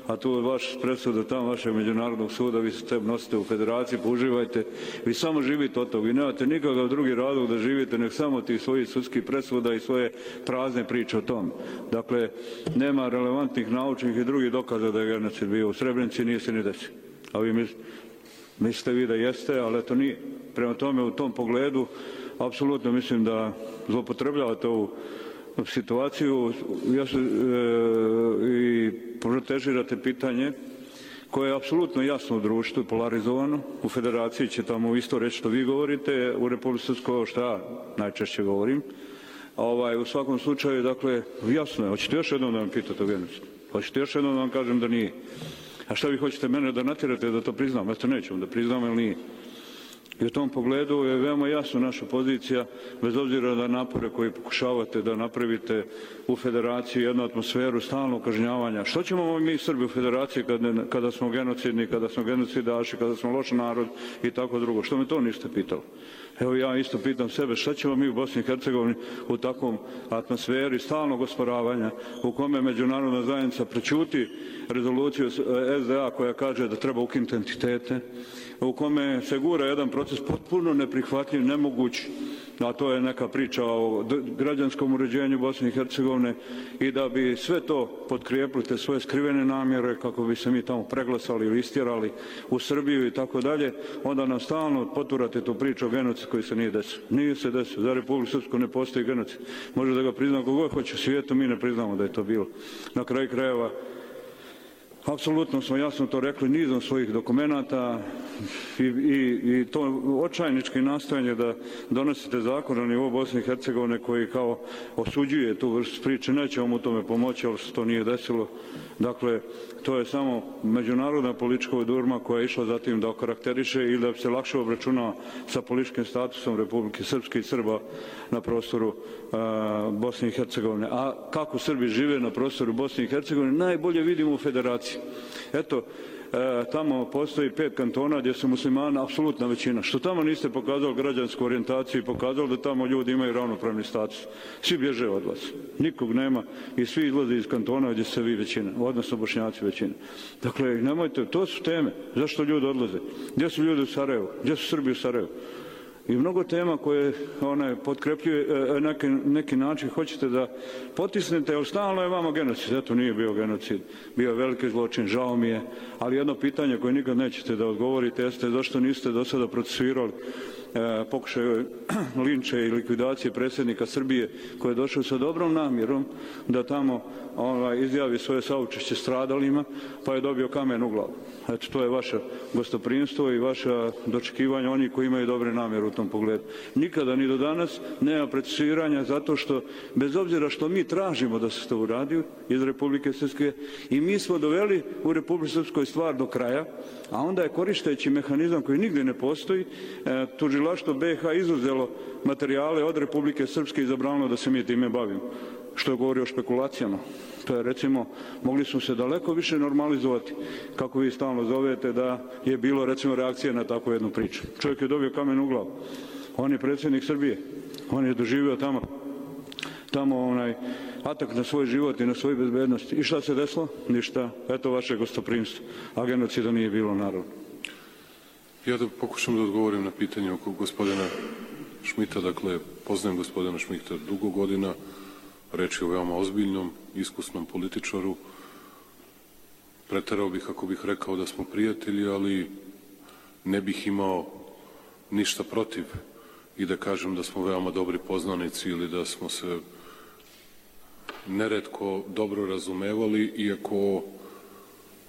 [SPEAKER 4] a tu vaš presuda tamo vašeg Međunarodnog suda, vi se tem nosite u federaciji, použivajte, vi samo živite od toga, vi nemate nikakav drugi razlog da živite, nek samo tih svojih sudskih presuda i svoje prazne priče o tom. Dakle, nema relevantnih naučnih i drugih dokaza da je genocid bio u Srebrenici, nije se ni desio. A vi mis, mislite vi da jeste, ali eto nije. Prema tome, u tom pogledu, apsolutno mislim da zloupotrebljavate ovu situaciju ja se, e, i protežirate pitanje koje je apsolutno jasno u društvu, polarizovano. U federaciji će tamo isto reći što vi govorite, u Republici Srpskoj što ja najčešće govorim. Ovaj, u svakom slučaju, dakle, jasno je. Hoćete još jednom da vam pitate o genocidu? Hoćete još jednom da vam kažem da nije? A šta vi hoćete mene da natjerate da to priznam? Ja to neću da priznam, ili nije? I u tom pogledu je veoma jasna naša pozicija, bez obzira na napore koje pokušavate da napravite u federaciji jednu atmosferu stalnog kažnjavanja. Što ćemo mi Srbi u federaciji kada, kada smo genocidni, kada smo genocidaši, kada smo loš narod i tako drugo? Što me to niste pitali? Evo ja isto pitam sebe, šta ćemo mi u Bosni i Hercegovini u takvom atmosferi stalnog osporavanja u kome međunarodna zajednica prećuti rezoluciju S D A koja kaže da treba ukinuti entitete, u kome se gura jedan proces potpuno neprihvatljiv, nemoguć, a to je neka priča o građanskom uređenju Bosne i Hercegovine, i da bi sve to potkrijepili te svoje skrivene namjere kako bi se mi tamo preglasali ili istjerali u Srbiju i tako dalje, onda nam stalno poturate tu priču o genocidu koji se nije desio. Nije se desio. Za Republiku Srpsku ne postoji genocid. Može da ga prizna kogod hoće u svijetu, mi ne priznamo da je to bilo. Na kraju krajeva, apsolutno smo jasno to rekli nizom svojih dokumenata i, i, i to očajnički nastojanje da donosite zakon na nivou Bosne i Hercegovine koji kao osuđuje tu vrstu priče, neće vam u tome pomoći, ali se to nije desilo. Dakle, to je samo međunarodna politička odurma koja je išla zatim da okarakteriše ili da se lakše obračuna sa političkim statusom Republike Srpske i Srba na prostoru a, Bosne i Hercegovine. A kako Srbi žive na prostoru Bosne i Hercegovine najbolje vidimo u federaciji. Eto, e, tamo postoji pet kantona gdje su muslimana apsolutna većina. Što tamo niste pokazali građansku orijentaciju i pokazali da tamo ljudi imaju ravnopravni status? Svi bježe od vas. Nikog nema i svi izlaze iz kantona gdje ste vi većina, odnosno Bošnjaci većina. Dakle, nemojte, to su teme. Zašto ljudi odlaze? Gdje su ljudi u Sarajevu? Gdje su Srbi u Sarajevu? I mnogo tema koje one potkrepljuje e, neki, neki način hoćete da potisnete, jer stalno je vama genocid. Eto, nije bio genocid, bio je veliki zločin, žao mi je, ali jedno pitanje koje nikad nećete da odgovorite jeste zašto niste do sada procesuirali e, pokušaj linče i likvidacije predsjednika Srbije koji je došao sa dobrom namjerom da tamo ovaj, izjavi svoje saučešće stradalima, pa je dobio kamen u glavu. Eto, to je vaše gostoprimstvo i vaša dočekivanja onih koji imaju dobre namjere u tom pogledu. Nikada ni do danas nema procesuiranja zato što, bez obzira što mi tražimo da se to uradi iz Republike Srpske, i mi smo doveli u Republike Srpskoj stvar do kraja, a onda je koristeći mehanizam koji nigdje ne postoji, e, tužilaštvo B iH izuzelo materijale od Republike Srpske i zabranilo da se mi time bavimo. što govori o špekulacijama. To je, recimo, mogli smo se daleko više normalizovati, kako vi stalno zovete, da je bilo, recimo, reakcije na takvu jednu priču. Čovjek je dobio kamen u glavu. On je predsjednik Srbije. On je doživio tamo, tamo onaj atak na svoj život i na svoju bezbednost. I šta se desilo? Ništa. Eto vaše gostoprimstvo. A genocida nije bilo, naravno.
[SPEAKER 1] Ja da pokušam da odgovorim na pitanje oko gospodina Šmita. Dakle, poznajem gospodina Šmita dugo godina. Reč je o veoma ozbiljnom, iskusnom političaru. Preterao bih ako bih rekao da smo prijatelji, ali ne bih imao ništa protiv i da kažem da smo veoma dobri poznanici ili da smo se neretko dobro razumevali, iako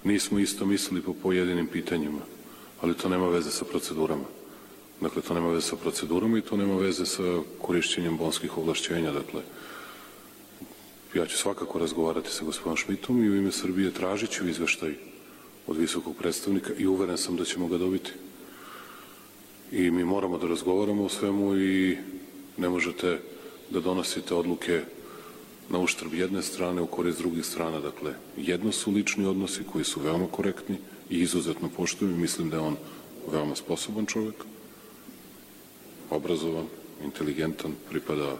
[SPEAKER 1] nismo isto mislili po pojedinim pitanjima. Ali to nema veze sa procedurama. Dakle, to nema veze sa procedurama i to nema veze sa korišćenjem bonskih ovlašćenja. Dakle, ja ću svakako razgovarati sa gospodinom Šmitom i u ime Srbije tražit ću izveštaj od visokog predstavnika i uveren sam da ćemo ga dobiti. I mi moramo da razgovaramo o svemu i ne možete da donosite odluke na uštrb jedne strane u korist drugih strana. Dakle, jedno su lični odnosi koji su veoma korektni i izuzetno poštujem i mislim da je on veoma sposoban čovjek, obrazovan, inteligentan, pripada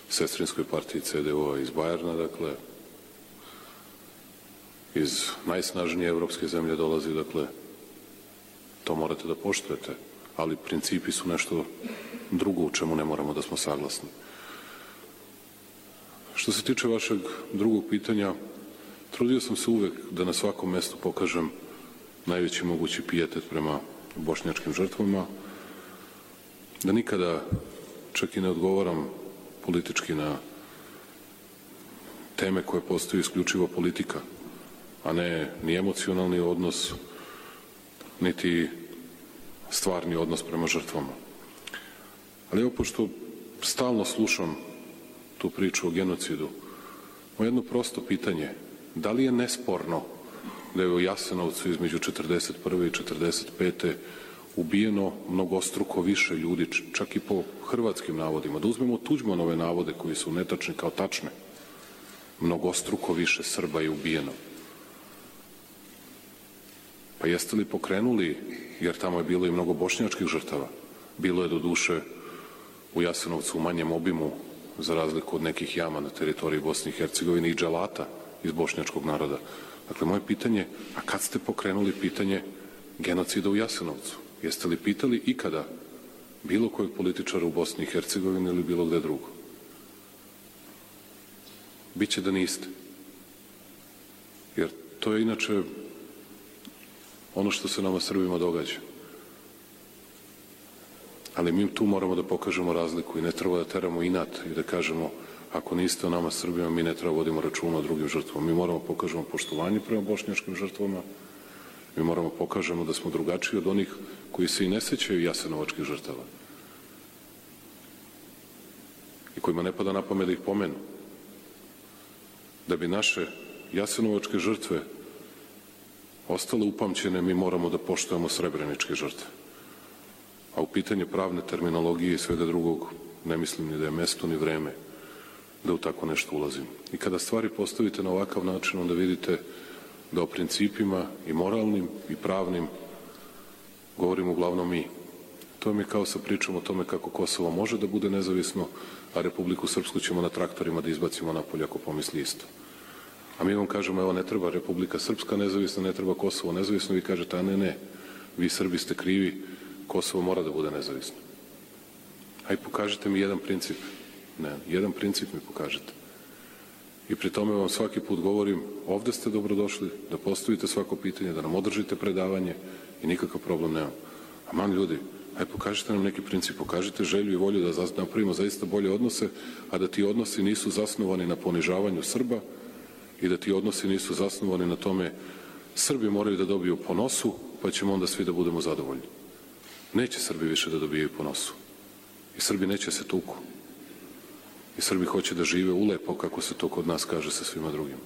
[SPEAKER 1] sestrinskoj partiji C D U-a iz Bajerna, dakle, iz najsnažnije evropske zemlje dolazi, dakle, to morate da poštujete, ali principi su nešto drugo u čemu ne moramo da smo saglasni. Što se tiče vašeg drugog pitanja, trudio sam se uvek da na svakom mestu pokažem najveći mogući pijetet prema bošnjačkim žrtvama, da nikada čak i ne odgovaram politički na teme koje postoji isključivo politika, a ne ni emocionalni odnos, niti stvarni odnos prema žrtvama. Ali evo, pošto stalno slušam tu priču o genocidu, moje jedno prosto pitanje, da li je nesporno da je u Jasenovcu između četrdeset prve i četrdeset pete ubijeno mnogostruko više ljudi, čak i po hrvatskim navodima. Da uzmemo Tuđmanove navode koji su netačni kao tačne. Mnogostruko više Srba je ubijeno. Pa jeste li pokrenuli, jer tamo je bilo i mnogo bošnjačkih žrtava, bilo je do duše u Jasenovcu u manjem obimu, za razliku od nekih jama na teritoriji Bosne i Hercegovine i dželata iz bošnjačkog naroda. Dakle, moje pitanje, a kad ste pokrenuli pitanje genocida u Jasenovcu? Jeste li pitali ikada bilo kojeg političara u Bosni i Hercegovini ili bilo gde drugo? Biće da niste. Jer to je inače ono što se nama Srbima događa. Ali mi tu moramo da pokažemo razliku i ne treba da teramo inat i da kažemo ako niste o nama Srbima, mi ne treba vodimo računa o drugim žrtvama. Mi moramo pokažemo poštovanje prema bošnjačkim žrtvama, mi moramo pokažemo da smo drugačiji od onih koji se i ne sećaju jasenovačkih žrtava i kojima ne pada na pamet da ih pomenu. Da bi naše jasenovačke žrtve ostale upamćene, mi moramo da poštujemo srebreničke žrtve. A u pitanje pravne terminologije i svega drugog ne mislim ni da je mesto ni vreme da u tako nešto ulazim. I kada stvari postavite na ovakav način, onda vidite da o principima i moralnim i pravnim govorimo uglavnom mi. To mi je kao sa pričom o tome kako Kosovo može da bude nezavisno, a Republiku Srpsku ćemo na traktorima da izbacimo napolje ako pomisli isto. A mi vam kažemo, evo, ne treba Republika Srpska nezavisna, ne treba Kosovo nezavisno, vi kažete, a ne, ne, vi Srbi ste krivi, Kosovo mora da bude nezavisno. Aj, pokažite mi jedan princip. Ne, jedan princip mi pokažete. I pri tome vam svaki put govorim, ovde ste dobrodošli, da postavite svako pitanje, da nam održite predavanje i nikakav problem nemam. Aman ljudi, aj pokažite nam neki princip, pokažite želju i volju da napravimo zaista bolje odnose, a da ti odnosi nisu zasnovani na ponižavanju Srba i da ti odnosi nisu zasnovani na tome Srbi moraju da dobiju po nosu, pa ćemo onda svi da budemo zadovoljni. Neće Srbi više da dobijaju po nosu. I Srbi neće se tuku. I Srbi hoće da žive ulepo, kako se to kod nas kaže sa svima drugima.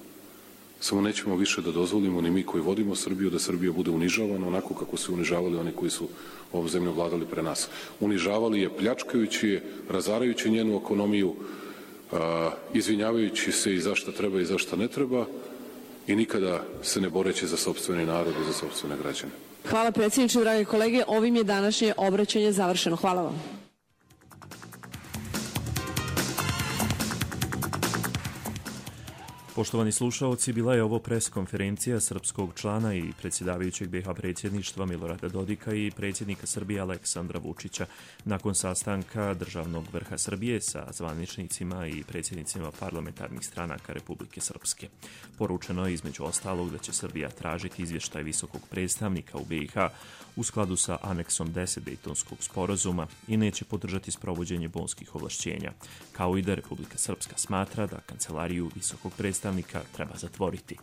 [SPEAKER 1] Samo nećemo više da dozvolimo ni mi koji vodimo Srbiju, da Srbija bude unižavana onako kako su unižavali oni koji su ovom zemljom vladali pre nas. Unižavali je pljačkajući je, razarajući njenu ekonomiju, izvinjavajući se i za šta treba i za šta ne treba i nikada se ne boreći za sopstveni narod i za sopstvene građane.
[SPEAKER 3] Hvala predsjedniče, drage kolege. Ovim je današnje obraćanje završeno. Hvala vam.
[SPEAKER 2] Poštovani slušaoci, bila je ovo pres konferencija srpskog člana i predsjedavajućeg B iH predsjedništva Milorada Dodika i predsjednika Srbije Aleksandra Vučića nakon sastanka državnog vrha Srbije sa zvaničnicima i predsjednicima parlamentarnih stranaka Republike Srpske. Poručeno je između ostalog da će Srbija tražiti izvještaj visokog predstavnika u B iH u skladu sa aneksom deset Dejtonskog sporazuma i neće podržati sprovođenje bonskih ovlašćenja, kao i da Republika Srpska smatra da kancelariju visokog predstavnika treba zatvoriti.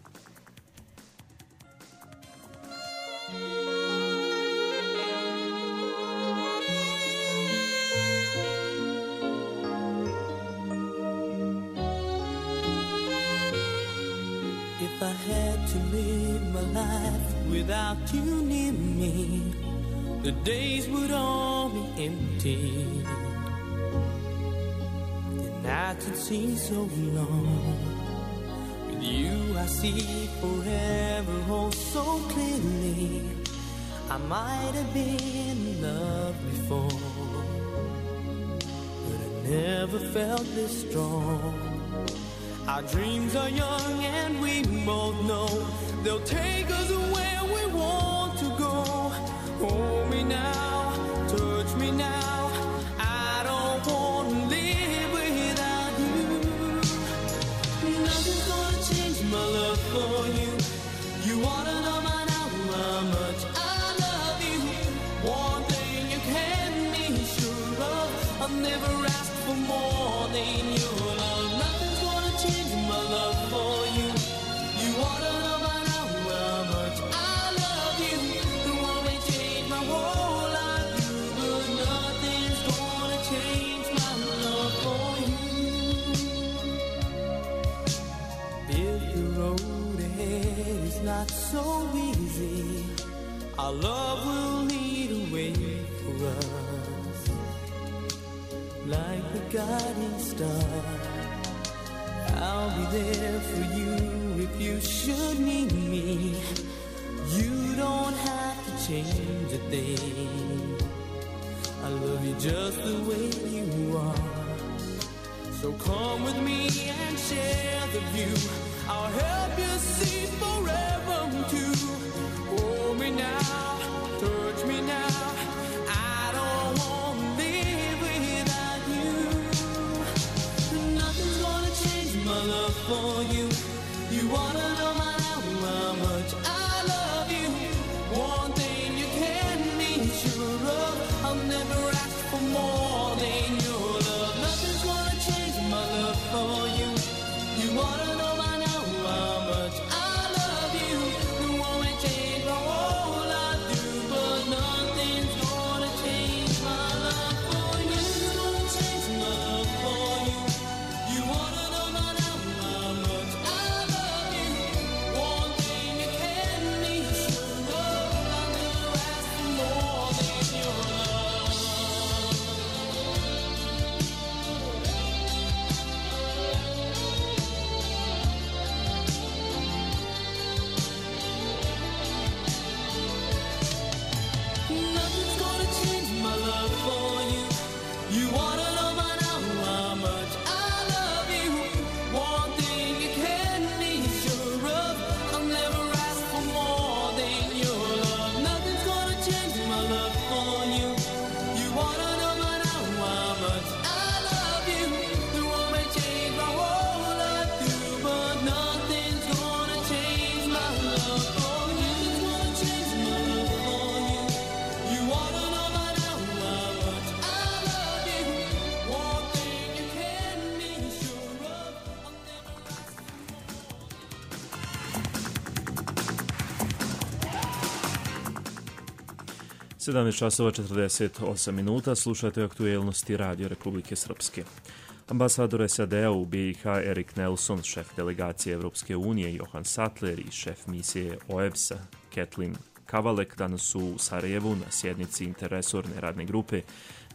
[SPEAKER 8] If I had to live my life without you near me, the days would all be empty. The nights would seem so long. With you I see forever oh so clearly. I might have been in love before, but I never felt this strong. Our dreams are young and we both know they'll take us where we want to go. Hold me now, touch me now. I don't want to live without you. Nothing's gonna change my love for you. You wanna know by now how much I love you. One thing you can be sure of, I'll never ask for more than your love. Nothing's gonna change my love for you. You wanna know by now how much I love you. The one may change my whole life, but nothing's gonna change my love for you. If the road ahead is not so easy, our love will lead a way for us, like the guiding star. I'll be there for you if you should need me. You don't have to change a thing. I love you just the way you are. So come with me and share the view. I'll help you see forever too. Hold me now, touch me now. I don't want to live without you. Nothing's gonna change my love for you. You wanna know my now how much I love you. One thing you can be sure of, I'll never ask for more than your love. Nothing's gonna change my love for you. You wanna know my now how much I love you. The one may change my whole life through, but nothing's gonna change my love for you. Nothing's gonna change my love for you. You wanna know my now how much I love you. One thing you can be sure of, I'll never ask for more than your love. Nothing's gonna change my love for you. You wanna know by now how much I love you. One thing you can be sure of, I'll never ask for more than your love. Nothing's gonna change my love for you. You wanna know by now how much I love you. The one may change my whole life through, but nothing's gonna change my love for you. Nothing's gonna change my love for you. You wanna know by now how much I love you. One thing you can be sure of, I'll never ask for
[SPEAKER 2] sedamnaest časova četrdeset osam minuta, slušate aktuelnosti Radio Republike Srpske. Ambasador S A D-a u B iH Erik Nelson, šef delegacije Evropske unije Johan Sattler i šef misije O E B S-a Kathleen Kavalek danas su u Sarajevu na sjednici interresorne radne grupe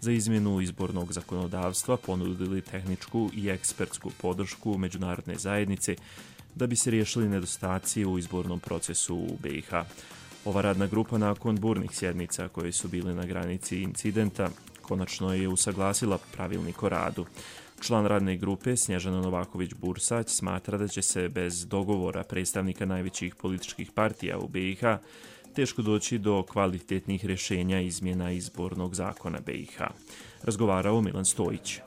[SPEAKER 2] za izmjenu izbornog zakonodavstva ponudili tehničku i ekspertsku podršku međunarodne zajednice da bi se riješili nedostaci u izbornom procesu u B i H. Ova radna grupa nakon burnih sjednica koje su bile na granici incidenta konačno je usaglasila pravilnik o radu. Član radne grupe Snježana Novaković-Bursać smatra da će se bez dogovora predstavnika najvećih političkih partija u B i H teško doći do kvalitetnih rješenja izmjena izbornog zakona B i H. Razgovarao Milan Stojić.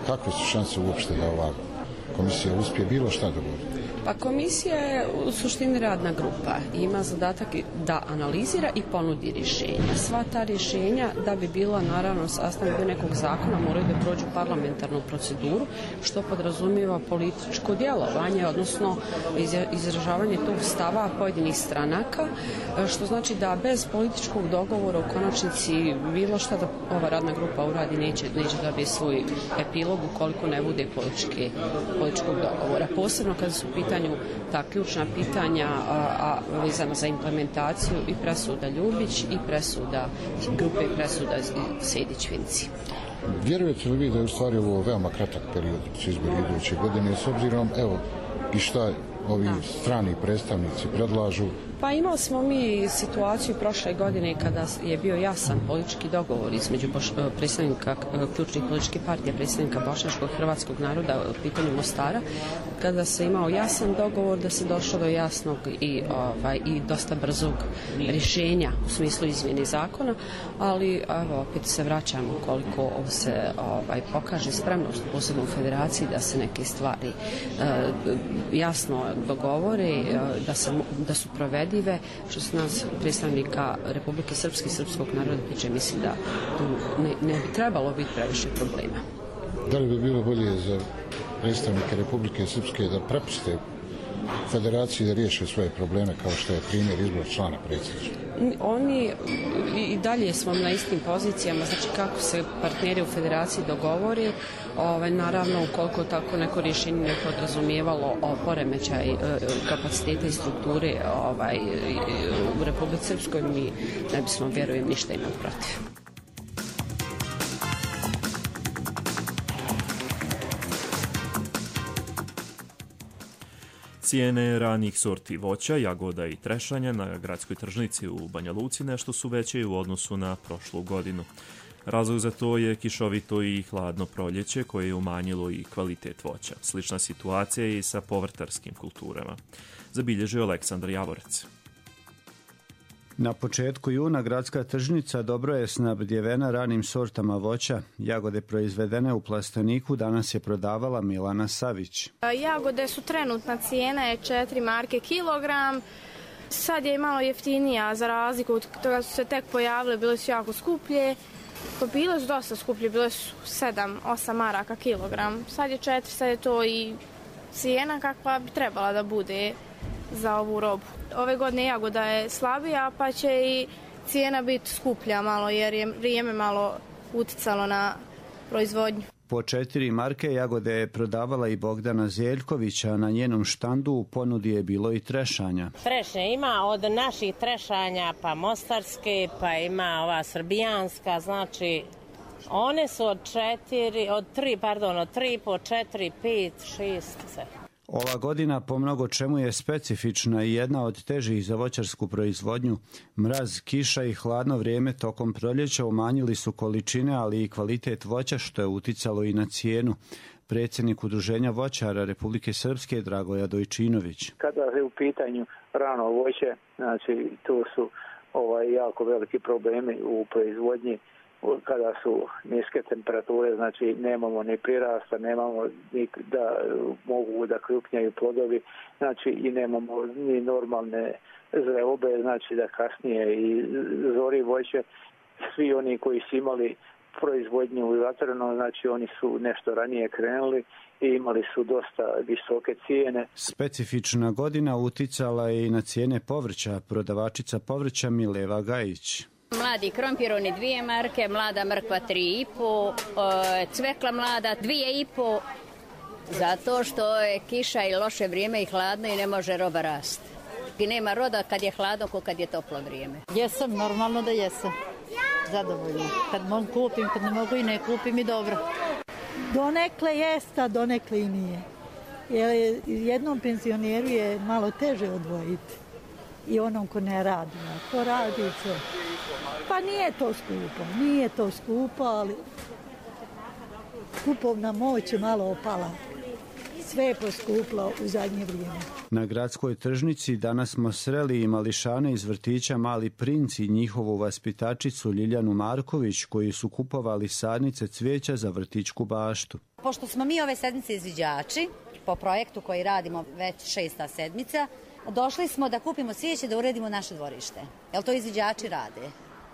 [SPEAKER 9] Kakve su šanse uopšte da ova komisija uspije bilo šta dogovoriti?
[SPEAKER 10] Pa komisija je u suštini radna grupa i ima zadatak da analizira i ponudi rješenja. Sva ta rješenja, da bi bila naravno sastavni dio nekog zakona, moraju da prođu parlamentarnu proceduru, što podrazumijeva političko djelovanje, odnosno izražavanje tog stava pojedinih stranaka, što znači da bez političkog dogovora u konačnici bilo šta da ova radna grupa uradi neće, neće dobiti svoj epilog ukoliko ne bude političke, političkog dogovora. Posebno kada su pitanje ta ključna pitanja a, a vezano za implementaciju i presuda Ljubić i presuda grupe i presuda Sejdić-Vinci.
[SPEAKER 9] Vjerujete li vi da je u stvari ovo veoma kratak period s izbori iduće godine, s obzirom evo i šta ovi strani predstavnici predlažu?
[SPEAKER 10] Pa imali smo mi situaciju prošle godine kada je bio jasan politički dogovor između predstavnika ključnih političkih partija, predstavnika bošnjačkog hrvatskog naroda u pitanju Mostara, kada se imao jasan dogovor da se došlo do jasnog i, ovaj, i dosta brzog rješenja u smislu izmjene zakona, ali evo, opet se vraćamo koliko se ovaj, pokaže spremnost posebno u federaciji da se neke stvari eh, jasno dogovore, eh, da, se, da su provedene što se nas predstavnika Republike Srpske i srpskog naroda tiče, mislim da tu ne, ne bi trebalo biti previše problema.
[SPEAKER 9] Da li bi bilo bolje za predstavnike Republike Srpske da prepuste federaciji da riješe svoje probleme kao što je primjer izbor člana predsjedništva?
[SPEAKER 10] Oni i dalje smo na istim pozicijama, znači kako se partneri u federaciji dogovori, ovaj, naravno ukoliko tako neko rješenje ne podrazumijevalo o poremećaj kapaciteta i strukture ovaj, u Republici Srpskoj, mi ne bismo, vjerujem, ništa imali protiv.
[SPEAKER 2] Cijene ranih sorti voća, jagoda i trešanja na gradskoj tržnici u Banja Luci nešto su veće u odnosu na prošlu godinu. Razlog za to je kišovito i hladno proljeće koje je umanjilo i kvalitet voća. Slična situacija je i sa povrtarskim kulturama. Zabilježio Aleksandar Javorec.
[SPEAKER 11] Na početku juna gradska tržnica dobro je snabdjevena ranim sortama voća. Jagode proizvedene u plasteniku danas je prodavala Milana Savić.
[SPEAKER 12] Jagode su trenutna cijena je četiri marke kilogram. Sad je malo jeftinija za razliku od toga su se tek pojavile, bile su jako skuplje. Pa bile su dosta skuplje, bile su sedam osam maraka kilogram. Sad je četiri, sad je to i cijena kakva bi trebala da bude za ovu robu. Ove godine jagoda je slabija, pa će i cijena biti skuplja malo, jer je vrijeme malo uticalo na proizvodnju.
[SPEAKER 11] Po četiri marke jagode je prodavala i Bogdana Zeljkovića, a na njenom štandu u ponudi je bilo i trešanja.
[SPEAKER 13] Trešnje ima od naših trešanja, pa mostarske, pa ima ova srbijanska, znači one su od četiri, od tri, pardon, od tri po četiri, pet, šest, sedam.
[SPEAKER 11] Ova godina po mnogo čemu je specifična i jedna od težih za voćarsku proizvodnju. Mraz, kiša i hladno vrijeme tokom proljeća umanjili su količine, ali i kvalitet voća, što je uticalo i na cijenu. Predsjednik Udruženja voćara Republike Srpske Dragoja Dojčinović.
[SPEAKER 14] Kada je u pitanju rano voće, znači tu su ovaj, jako veliki problemi u proizvodnji. Kada su niske temperature, znači nemamo ni prirasta, nemamo ni da mogu da krupnjaju plodovi, znači i nemamo ni normalne zreobe, znači da kasnije i zori voće. Svi oni koji su imali proizvodnju u zatvorenom, znači oni su nešto ranije krenuli i imali su dosta visoke cijene.
[SPEAKER 11] Specifična godina uticala je i na cijene povrća. Prodavačica povrća Mileva Gajić.
[SPEAKER 15] Mladi krompir, oni dvije marke, mlada mrkva tri i po, cvekla mlada dvije i po, zato što je kiša i loše vrijeme i hladno i ne može roba rasti. I nema roda kad je hladno ko kad je toplo vrijeme.
[SPEAKER 16] Jesam, normalno da jesam. zadovoljna. Kad mogu kupim, kad ne mogu i ne kupim i dobro.
[SPEAKER 17] Donekle jest, a donekle i nije. Jer jednom penzioneru je malo teže odvojiti i onom ko ne radi. A ko radi sve. Pa nije to skupo, nije to skupo, ali kupovna moć je malo opala. Sve je poskuplo u zadnje vrijeme.
[SPEAKER 11] Na gradskoj tržnici danas smo sreli i mališane iz vrtića Mali princ i njihovu vaspitačicu Ljiljanu Marković koji su kupovali sadnice cvijeća za vrtićku baštu.
[SPEAKER 18] Pošto smo mi ove sedmice izviđači, po projektu koji radimo već šesta sedmica, došli smo da kupimo cvijeće da uredimo naše dvorište. Jel to izviđači rade?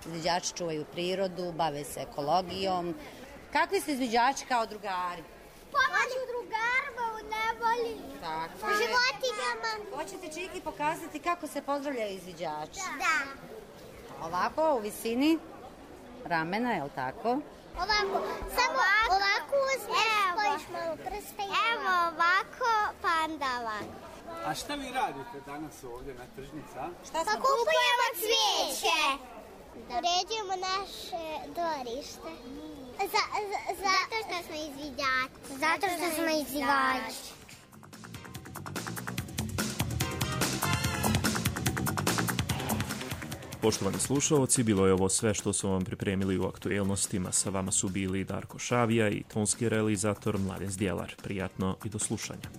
[SPEAKER 18] Izviđači čuvaju prirodu, bave se ekologijom. Kakvi ste izviđači kao drugari?
[SPEAKER 19] Pomoću drugarima u nevolji.
[SPEAKER 18] Tako
[SPEAKER 19] je. Životinjama.
[SPEAKER 18] Hoćete Čiki pokazati kako se pozdravljaju izviđači?
[SPEAKER 19] Da.
[SPEAKER 18] Ovako u visini ramena, je li tako?
[SPEAKER 19] Ovako, samo ovako, ovako uzmeš, stojiš malo prste. Evo ovako, pa onda ovako.
[SPEAKER 20] A šta vi radite danas ovdje na tržnici, a?
[SPEAKER 19] Šta pa kupujemo cvijeće. Da. Uređujemo naše dvorište. Za, za, zato što smo izviđači. Zato što smo izviđači.
[SPEAKER 2] Poštovani slušalci, bilo je ovo sve što su vam pripremili u aktuelnostima. Sa vama su bili Darko Šavija i tonski realizator Mladen Zdjelar. Prijatno i do slušanja.